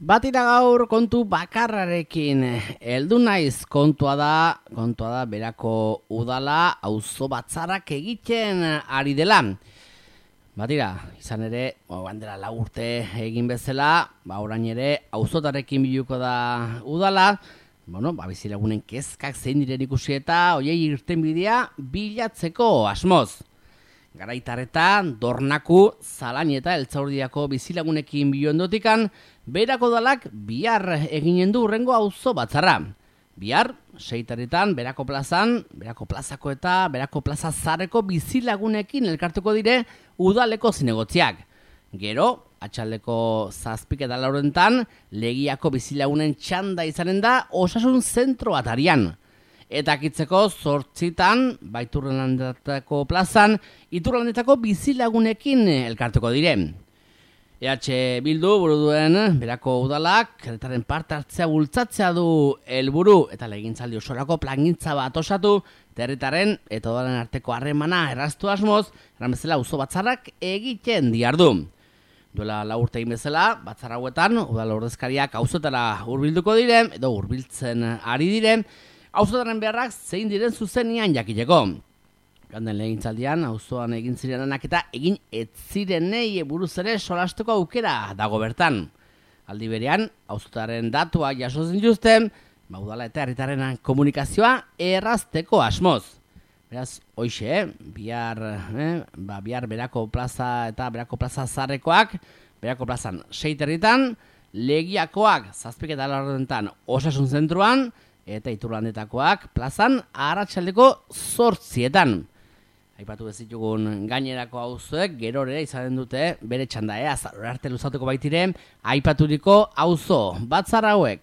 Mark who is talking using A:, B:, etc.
A: Batira gaur kontu bakarrarekin heldu naiz kontua da berako udala auzo batzarrak egiten ari dela. Batira, izan ere, bandera 4 urte egin bezala, orain ere auzotarekin biluko da udala. Bizilagunen kezkak zein diren ikusi eta hoiei irtenbidea bilatzeko asmoz. Garaitarretan, Dornaku, Zalain eta Eltzaurdiako bizilagunekin bilondotikan, berako udalak bihar eginen du hurrengo auzo batzarra. Bihar, 6 berako plazan, berako plazako eta berako plaza zarreko bizilagunekin elkartuko dire udaleko zinegotziak. Gero, atxaldeko 7:00 Legiako bizilagunen txanda izanen da osasun zentro atarian. Eta akitzeko 8:00 Iturrialdetako plazan, Iturrialdetako bizilagunekin elkartuko dire. EH Bildu buru duen berako udalak herritarren parte hartzea bultzatzea du helburu eta legintzaldi osorako plangintza bat osatu herritarren eta udalen arteko harremana erraztu asmoz, eran bezala auzo batzarrak egiten diardu. Duela 4 urte egin bezala, batzar hauetan udal ordezkariak auzotara hurbilduko dire edo hurbiltzen ari dire, auzotaren beharrak zein diren zuzenean jakiteko. Ganden legintzaldian, auzoan egin zirenanak eta egin ez zirenei buruz ere solasteko aukera dago bertan. Aldi berean, auzotaren datua jaso zinjuzten, udala eta herritarren komunikazioa errazteko asmoz. Beraz, hoixe, bihar berako plaza eta berako plaza zarrekoak, berako plazan 6:00, Legiakoak 7:00 osasun zentruan, eta Iturrialdetakoak plazan arratsaldeko 8:00. Aipatu bezitugun gainerako auzoek gerore izanen dute bere txanda, azarora arte luzatuko baitire aipaturiko auzo batzar hauek.